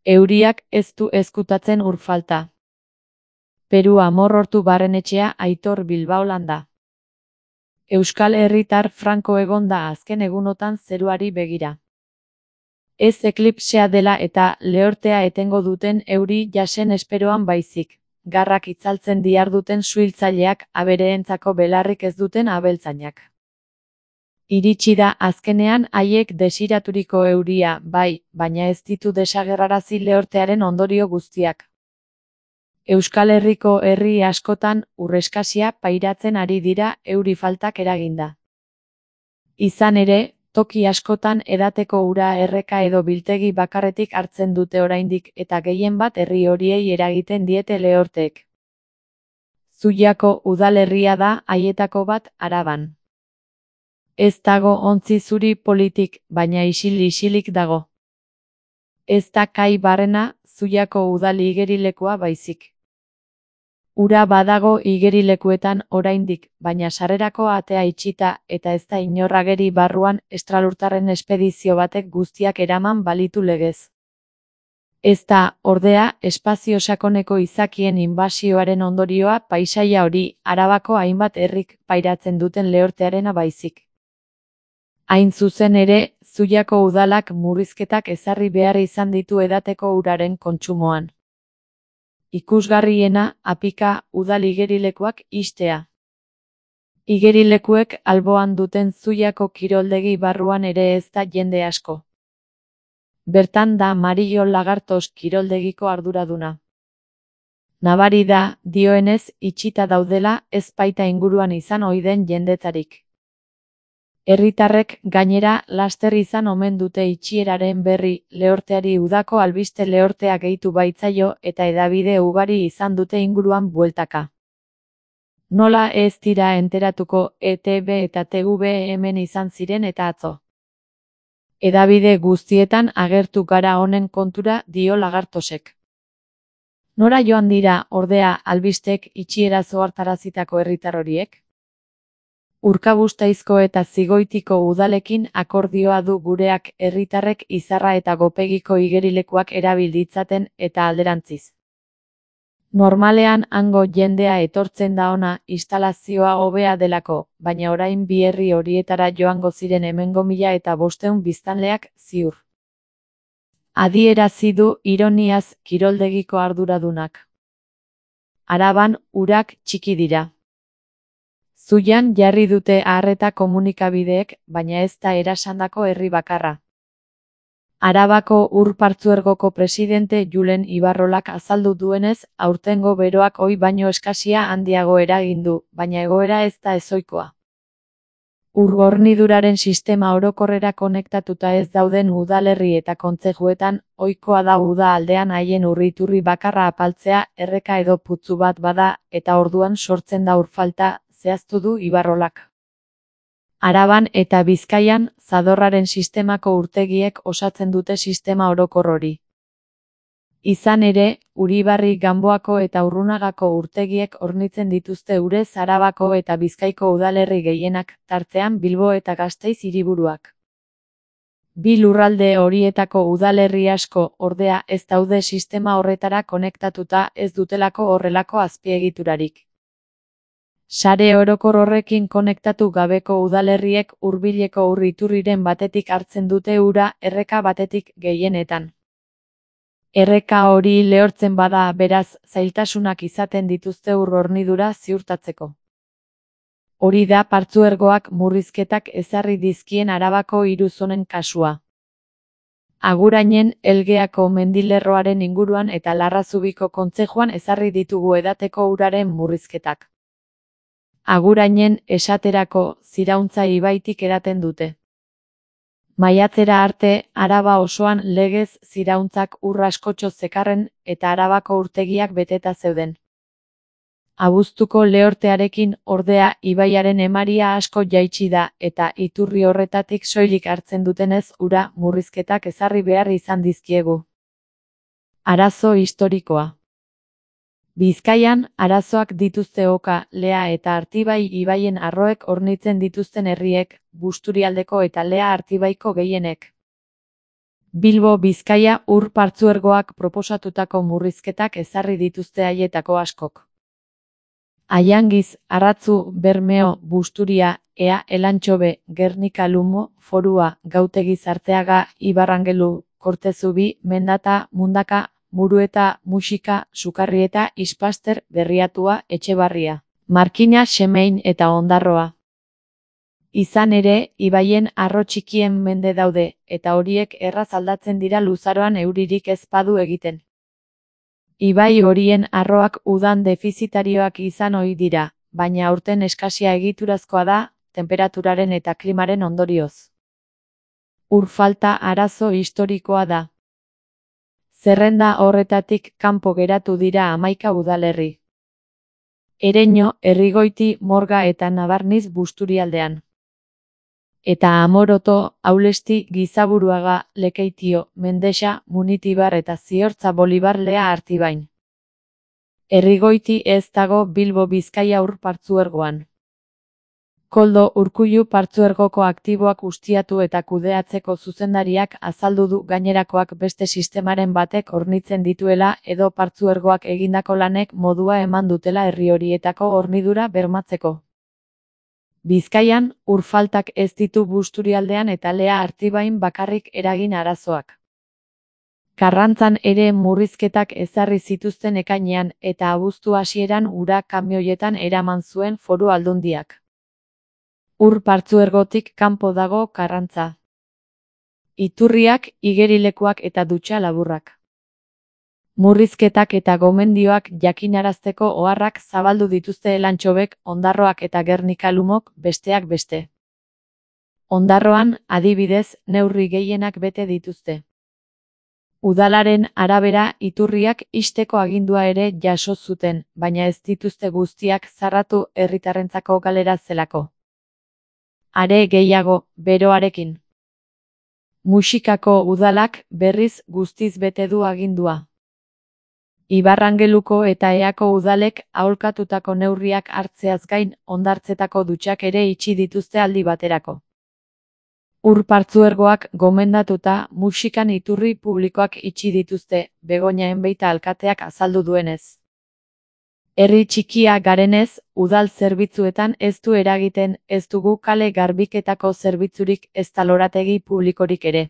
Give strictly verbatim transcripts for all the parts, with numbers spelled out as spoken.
Euriak ez du ezkutatzen ur falta. Peru Amorortu barrenetxea Aitor Bilbao landa. Euskal herritar franko egon da azken egunotan zeruari begira. Ez eklipsea dela eta lehortea etengo duten euri jasen esperoan baizik, garrak itzaltzen diharduten suhiltzaileak abereentzako belarrik ez duten abeltzainak. Iritsi da azkenean haiek desiraturiko euria, bai, baina ez ditu desagerrarazi lehortearen ondorio guztiak. Euskal Herriko herri askotan urreskasia pairatzen ari dira euri faltak eraginda. Izan ere, toki askotan edateko ura erreka edo biltegi bakarretik hartzen dute oraindik eta gehien bat herri horiei eragiten diete lehorteek. Zuiako udalerria da haietako bat Araban. Ez dago ontzi zuri politik, baina isil-isilik dago. Ez da kai barrena, Zuiako udal igerilekua baizik. Ura badago igerilekuetan oraindik, baina sarrerako atea itxita eta ez da inor ageri barruan estralurtarren espedizio batek guztiak eraman balitu legez. Ez da, ordea, espazio sakoneko izakien inbasioaren ondorioa paisaia hori Arabako hainbat herrik pairatzen duten lehortearena baizik. Hain zuzen ere, Zuiako udalak murrizketak ezarri behar izan ditu edateko uraren kontsumoan. Ikusgarriena, apika, udal igerilekuak ixtea. Igerilekuek alboan duten Zuiako kiroldegi barruan ere ez da jende asko. Bertan da Mario Lagartos kiroldegiko arduraduna. Nabari da, dioenez, itxita daudela, ez baita inguruan izan ohi den jendetarik. Herritarrek gainera laster izan omen dute itxieraren berri, lehorteari udako albiste lehortea gehitu baitzaio eta hedabide ugari izan dute inguruan bueltaka. Nola ez dira enteratuko E T B eta T V hemen izan ziren eta atzo. Hedabide guztietan agertu gara honen kontura dio Lagartosek. Nora joan dira, ordea, albistek itxiera zohartarazitako herritar horiek? Urkabustaisko eta Zigoitiko udalekin akordioa du gureak herritarrek Izarra eta Gopegiko igerilekuak erabil ditzaten eta alderantziz. Normalean hango jendea etortzen da ona instalazioa hobea delako, baina orain bi herri horietara joango ziren hemengo mila eta bostehun biztanleak ziur. Adierazi du ironiaz kiroldegiko arduradunak. Araban urak txiki dira. Zuian jarri dute arreta komunikabideek, baina ez da erasandako herri bakarra. Arabako Ur Partzuergoko presidente Julen Ibarrolak azaldu duenez, aurtengo beroak ohi baino eskasia handiago eragin du, baina egoera ez da ezohikoa. Ur horniduraren sistema orokorrera konektatuta ez dauden udalerri eta kontzejuetan, ohikoa da uda aldean haien urriturri bakarra apaltzea erreka edo putzu bat bada, eta orduan sortzen da ur falta, zehaztu du Ibarrolak. Araban eta Bizkaian, zadorraren sistemako urtegiek osatzen dute sistema orokor hori. Izan ere, Uribarri Ganboako eta Urrunagako urtegiek hornitzen dituzte urez Arabako eta Bizkaiko udalerri gehienak, tartean Bilbo eta Gasteiz hiriburuak. Bi lurralde horietako udalerri asko, ordea, ez daude sistema horretara konektatuta ez dutelako horrelako azpiegiturarik. Sare orokor horrekin konektatu gabeko udalerriek hurbileko ur iturriren batetik hartzen dute ura erreka batetik gehienetan. Erreka hori lehortzen bada, beraz, zailtasunak izaten dituzte ur hornidura ziurtatzeko. Hori da Partzuergoak murrizketak ezarri dizkien Arabako hiru zonen kasua. Agurainen, Elgeako mendilerroaren inguruan eta Larrazubiko kontzejuan ezarri ditugu edateko uraren murrizketak. Agurainen, esaterako, Zirauntza ibaitik edaten dute. Maiatzera arte, Araba osoan legez zirauntzak ur askotxo zekarren eta Arabako urtegiak beteta zeuden. Abuztuko lehortearekin, ordea, ibaiaren emaria asko jaitsi da eta iturri horretatik soilik hartzen dutenez ura murrizketak ezarri behar izan dizkiegu. Arazo historikoa. Bizkaian, arazoak dituzte Oka, Lea eta Artibai ibaien arroek hornitzen dituzten herriek, Busturialdeko eta Lea Artibaiko gehienek. Bilbo Bizkaia ur partzuergoak proposatutako murrizketak ezarri dituzte haietako askok. Aiangiz, Arratzu, Bermeo, Busturia, Ea, Elantxobe, Gernika Lumo, Forua, Gautegi Zarteaga, Ibarrangelu, Kortezubi, Mendata, Mundaka, Murueta, Muxika, Sukarrieta, Ispaster, Berriatua, Etxebarria, Markina, Xemein eta Ondarroa. Izan ere, ibaien arro txikien mende daude, eta horiek erraz aldatzen dira luzaroan euririk ez badu egiten. Ibai horien arroak udan defizitarioak izan ohi dira, baina aurten eskasia egiturazkoa da, temperaturaren eta klimaren ondorioz. Ur falta arazo historikoa da. Zerrenda horretatik kanpo geratu dira hamaika udalerri. Ereño, Errigoiti, Morga eta Nabarniz Busturialdean. Eta Amoroto, Aulesti, Gizaburuaga, Lekeitio, Mendexa, Munitibar eta Ziortza Bolibar Lea Artibain. Errigoiti ez dago Bilbo Bizkaia ur partzuergoan. Koldo Urkullu partzuergoko aktiboak ustiatu eta kudeatzeko zuzendariak azaldu du gainerakoak beste sistemaren batek hornitzen dituela edo partzuergoak egindako lanek modua eman dutela herri horietako hornidura bermatzeko. Bizkaian, ur faltak ez ditu Busturialdean eta Lea Artibain bakarrik eragin arazoak. Karrantzan ere murrizketak ezarri zituzten ekainean eta abuztu hasieran ura kamioietan eraman zuen Foru Aldundiak. Ur partzuergotik kanpo dago Karrantza. Iturriak, igerilekuak eta dutxa laburrak. Murrizketak eta gomendioak jakinarazteko oharrak zabaldu dituzte Elantxobek, Ondarroak eta Gernika Lumok, besteak beste. Ondarroan, adibidez, neurri gehienak bete dituzte. Udalaren arabera iturriak ixteko agindua ere jaso zuten, baina ez dituzte guztiak zarratu herritarrentzako galera zelako. Are gehiago, beroarekin. Muxikako udalak berriz guztiz bete du agindua. Ibarrangeluko eta Eako udalek aholkatutako neurriak hartzeaz gain hondartzetako dutxak ere itxi dituzte aldi baterako. Ur partzuergoak gomendatuta Muxikan iturri publikoak itxi dituzte, Begoña Enbeita alkateak azaldu duenez. Herri txikia garenez, udal zerbitzuetan ez du eragiten, ez dugu kale garbiketako zerbitzurik ezta lorategi publikorik ere.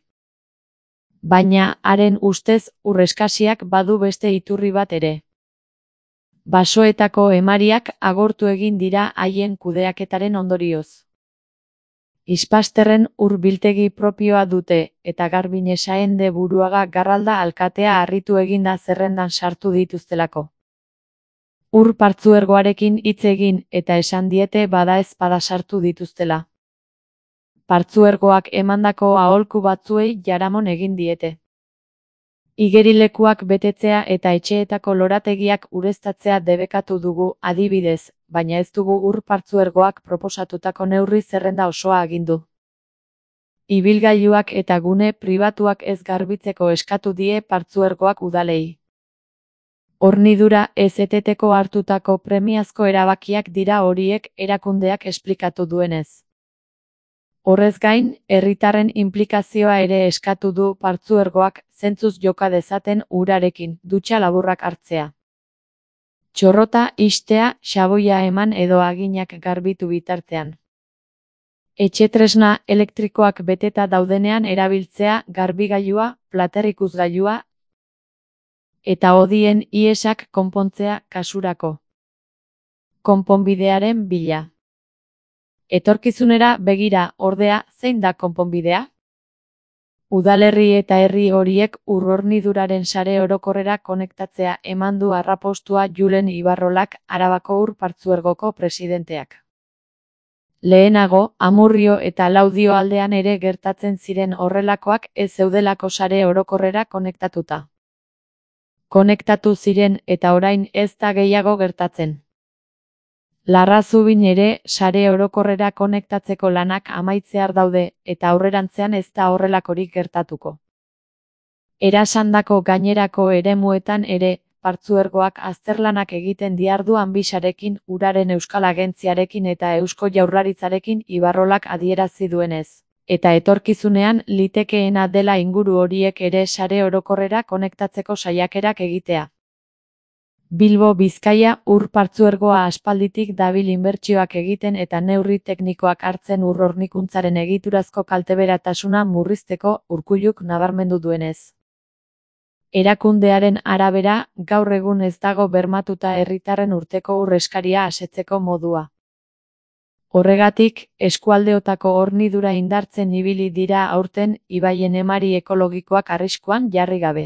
Baina, haren ustez, ur eskasiak badu beste iturri bat ere. Basoetako emariak agortu egin dira haien kudeaketaren ondorioz. Ispasterren ur biltegi propioa dute, eta Garbine Saende Buruaga Garralda alkatea harritu eginda zerrendan sartu dituztelako. Ur partzuergoarekin hitz egin eta esan diete badaezpada sartu dituztela. Partzuergoak emandako aholku batzuei jaramon egin diete. Igerilekuak betetzea eta etxeetako lorategiak ureztatzea debekatu dugu adibidez, baina ez dugu ur partzuergoak proposatutako neurri zerrenda osoa agindu. Ibilgailuak eta gune pribatuak ez garbitzeko eskatu die partzuergoak udalei. Hornidura ez eteteko hartutako premiazko erabakiak dira horiek erakundeak esplikatu duenez. Horrez gain, herritarren inplikazioa ere eskatu du partzuergoak zentzuz joka dezaten urarekin, dutxa laburrak hartzea. Txorrota ixtea, xaboia eman edo aginak garbitu bitartean. Etxetresna elektrikoak beteta daudenean erabiltzea garbigailua, platerrikusgailua, eta hodien iesak konpontzea kasurako. Konponbidearen bila. Etorkizunera begira, ordea, zein da konponbidea? Udalerri eta herri horiek ur horniduraren sare orokorrera konektatzea eman du arrapostua Julen Ibarrolak, Arabako ur partzuergoko presidenteak. Lehenago, Amurrio eta Laudio aldean ere gertatzen ziren horrelakoak ez zeudelako sare orokorrera konektatuta. Konektatu ziren eta orain ez da gehiago gertatzen. Larrazubin ere sare orokorrera konektatzeko lanak amaitzear daude eta aurrerantzean ez da horrelakorik gertatuko. Erasandako gainerako eremuetan ere, partzuergoak azterlanak egiten diardu Anbisarekin, Uraren Euskal Agentziarekin eta Eusko Jaurlaritzarekin Ibarrolak adierazi duenez. eta etorkizunean litekeena dela inguru horiek ere sare orokorrera konektatzeko saiakerak egitea. Bilbo Bizkaia ur partzuergoa aspalditik dabil inbertsioak egiten eta neurri teknikoak hartzen ur hornikuntzaren egiturazko kalteberatasuna murrizteko, Urkulluk nabarmendu duenez. Erakundearen arabera, gaur egun ez dago bermatuta herritarren urteko ur eskaria asetzeko modua. Horregatik, eskualdeotako hornidura indartzen ibili dira aurten ibaien emari ekologikoak arriskuan jarri gabe.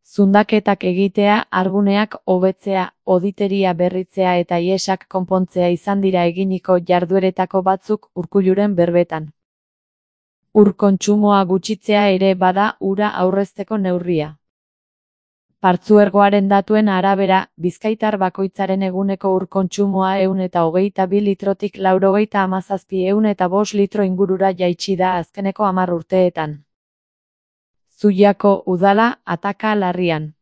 Zundaketak egitea, arguneak hobetzea, oditeria berritzea eta iesak konpontzea izan dira eginiko jardueretako batzuk Urkulluren berbetan. Ur kontsumoa gutxitzea ere bada ura aurrezteko neurria. Partzuergoaren datuen arabera, bizkaitar bakoitzaren eguneko ur kontsumoa ehun eta hogeita bi litrotik laurogeita hamazazpi ehun eta bost litro ingurura jaitsi da azkeneko hamar urteetan. Zuiako udala ataka larrian.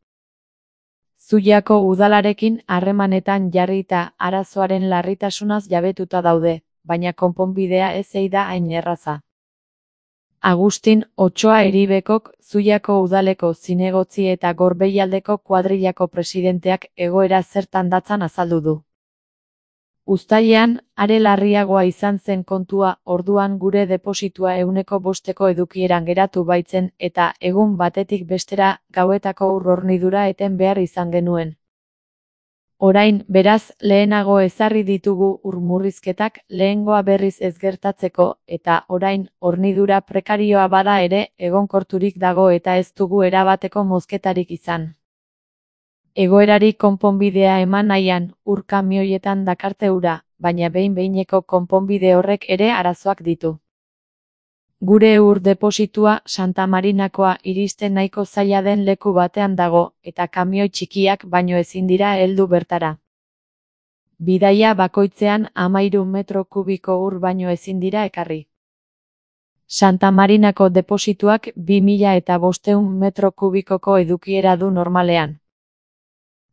Zuiako udalarekin harremanetan jarrita arazoaren larritasunaz jabetuta daude, baina konponbidea ez ei da hain erraza. Agustin Otsoa Eribekok Zuiako udaleko zinegotzi eta Gorbeialdeko kuadrillako presidenteak egoera zertan datzan azaldu du. Uztailean, are larriagoa izan zen kontua, orduan gure depositua ehuneko bosteko edukieran geratu baitzen eta egun batetik bestera gauetako ur hornidura eten behar izan genuen. Orain, beraz, lehenago ezarri ditugu ur murrizketak lehengoa berriz ez gertatzeko eta orain hornidura prekarioa bada ere egonkorturik dago eta ez dugu erabateko mozketarik izan. Egoerari konponbidea eman nahian, ur kamioietan dakarte ura, baina behin-behineko konponbide horrek ere arazoak ditu. Gure ur depositua Santa Marinakoa iristen nahiko zaila den leku batean dago, eta kamioi txikiak baino ezin dira heldu bertara. Bidaia bakoitzean hamahiru metro kubiko ur baino ezin dira ekarri. Santa Marinako deposituak bi mila eta bostehun metro kubikoko edukiera du normalean.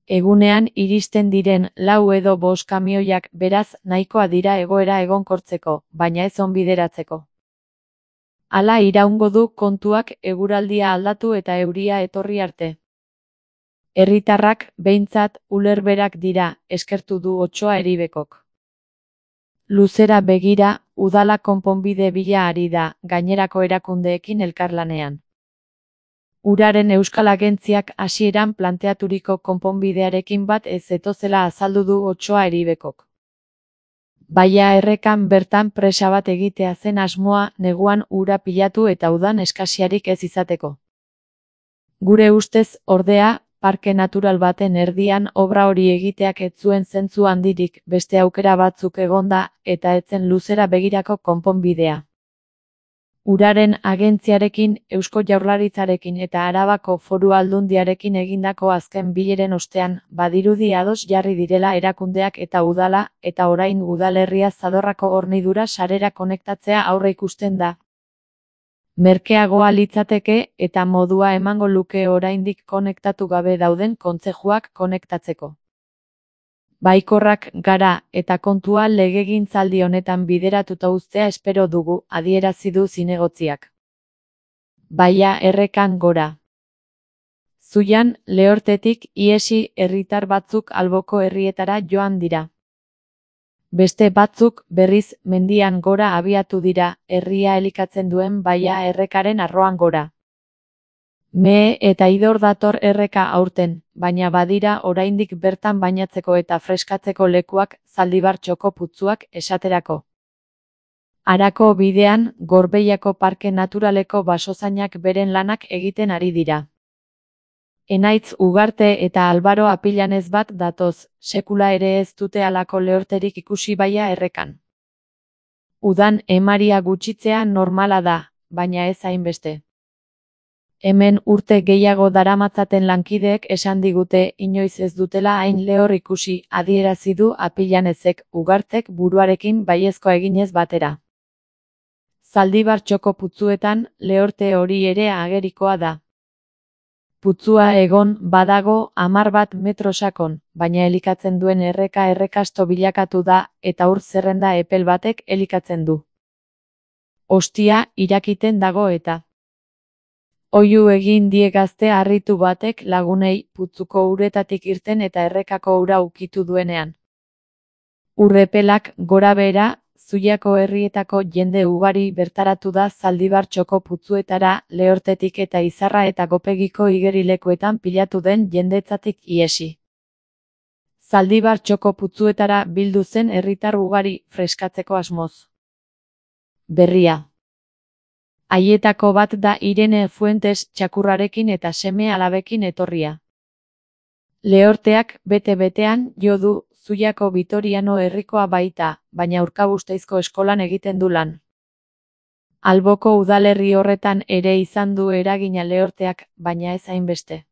Egunean iristen diren lau edo bost kamioiak beraz nahikoa dira egoera egonkortzeko, baina ez onbideratzeko. Hala iraungo du kontuak eguraldia aldatu eta euria etorri arte. Herritarrak, behintzat, ulerberak dira, eskertu du Otsoa Eribekok. Luzera begira, udala konponbide bila ari da, gainerako erakundeekin elkarlanean. Uraren Euskal Agentziak hasieran planteaturiko konponbidearekin bat ez zetozela azaldu du Otsoa Eribekok. Baia errekan bertan presa bat egitea zen asmoa neguan ura pilatu eta udan eskasiarik ez izateko. Gure ustez, ordea, parke natural baten erdian obra hori egiteak ez zuen zentzu handirik, beste aukera batzuk egonda eta etzen luzera begirako konponbidea. Uraren agentziarekin, Eusko Jaurlaritzarekin eta Arabako Foru Aldundiarekin egindako azken bileren ostean, badirudi ados jarri direla erakundeak eta udala, eta orain udalerria Zadorrako hornidura sarera konektatzea aurreikusten da. Merkeagoa litzateke eta modua emango luke oraindik konektatu gabe dauden kontzejuak konektatzeko. Baikorrak gara eta kontua legegintzaldi honetan bideratuta uztea espero dugu, adierazi du zinegotziak. Baia errekan gora. Zuian, Lehortetik ihesi herritar batzuk alboko herrietara joan dira. Beste batzuk, berriz, mendian gora abiatu dira, herria elikatzen duen baia errekaren arroan gora. Mehe eta idor dator erreka aurten, baina badira oraindik bertan bainatzeko eta freskatzeko lekuak, Zaldibar txoko putzuak esaterako. Arako bidean, Gorbeiako Parke Naturaleko basozainak beren lanak egiten ari dira. Enaitz Ugarte eta Albaro Apilanez bat datoz, sekula ere ez dute halako lehorterik ikusi baia errekan. Udan emaria gutxitzea normala da, baina ez hainbeste. Hemen urte gehiago daramatzaten lankideek esan digute inoiz ez dutela hain lehor ikusi, adierazi du Apilanezek, Ugartek buruarekin baiezkoa eginez batera. Zaldibar txoko putzuetan, lehorte hori ere agerikoa da. Putzua egon, badago, hamar bat metro sakon, baina elikatzen duen erreka errekasto bilakatu da, eta ur zerrenda epel batek elikatzen du. Ostia, irakiten dago eta. Oihu egin die gazte harritu batek lagunei putzuko uretatik irten eta errekako ura ukitu duenean. Urrepelak gora behera, Zuiako herrietako jende ugari bertaratu da Zaldibar txoko putzuetara Lehortetik eta Izarra eta Gopegiko igerilekuetan pilatu den jendetzatik iesi. Zaldibar txoko putzuetara bildu zen herritar ugari freskatzeko asmoz. Berria. Haietako bat da Irene Fuentes txakurrarekin eta seme alabekin etorria. Lehorteak bete-betean jo du Zuiako Bitoriano herrikoa baita, baina Urkabusteizko eskolan egiten du lan. Alboko udalerri horretan ere izan du eragina Lehorteak, baina ez hainbeste.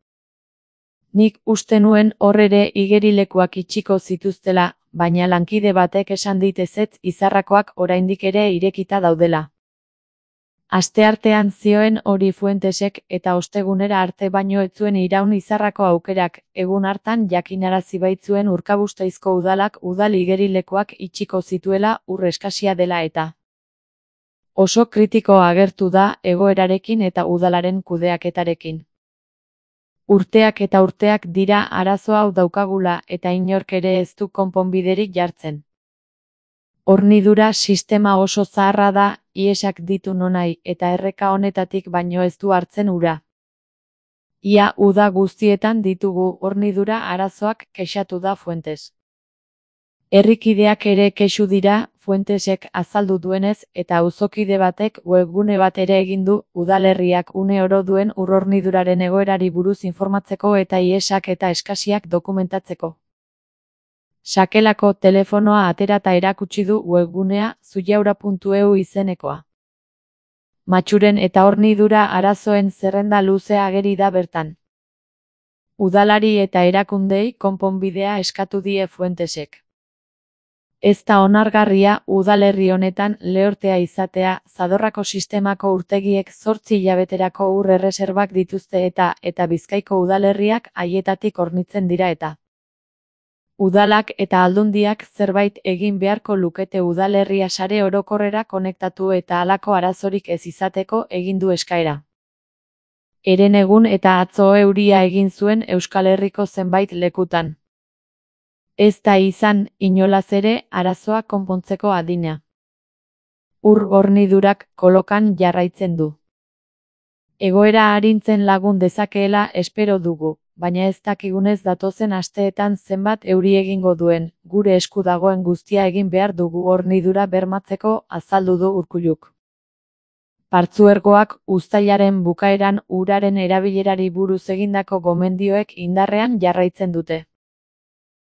Nik uste nuen hor ere igerilekuak itxiko zituztela, baina lankide batek esan dit ezetz Izarrakoak oraindik ere irekita daudela. Asteartean zioen hori Fuentesek eta ostegunera arte baino ez zuen iraun Izarrako aukerak, egun hartan jakinarazi baitzuen Urkabusteizko udalak udal igerilekuak itxiko zituela ur eskasia dela eta. Oso kritiko agertu da egoerarekin eta udalaren kudeaketarekin. Urteak eta urteak dira arazo hau daukagula eta inork ere ez du konponbiderik jartzen. Hornidura sistema oso zaharra da, iesak ditu nonai eta erreka honetatik baino ez du hartzen ura. Ia uda guztietan ditugu hornidura arazoak kexatu da Fuentes. Herrikideak ere kexu dira, Fuentesek azaldu duenez eta auzokide batek webgune bat ere egin du udalerriak une oro duen urhorniduraren egoerari buruz informatzeko eta iesak eta eskasiak dokumentatzeko. Sakelako telefonoa aterata erakutsi du webgunea zuiaura puntu e u izenekoa. Matxuren eta hornidura arazoen zerrenda luzea ageri da bertan. Udalari eta erakundei konponbidea eskatu die Fuentesek. Ez da onargarria udalerri honetan Lehortea izatea, Zadorrako sistemako urtegiek zortzi hilabeterako ur erreserbak dituzte eta eta Bizkaiko udalerriak haietatik hornitzen dira eta. Udalak eta aldundiak zerbait egin beharko lukete udalerria sare orokorrera konektatu eta halako arazorik ez izateko egin du eskaera. Herenegun eta atzo euria egin zuen Euskal Herriko zenbait lekutan. Ez da izan, inolaz ere, arazoa konpontzeko adina. Ur hornidurak kolokan jarraitzen du. Egoera arintzen lagun dezakeela espero dugu, baina ez dakigunez datozen asteetan zenbat euri egingo duen, gure esku dagoen guztia egin behar dugu hornidura bermatzeko, azaldu du Urkulluk. Partzuergoak uztailaren bukaeran uraren erabilerari buruz egindako gomendioek indarrean jarraitzen dute.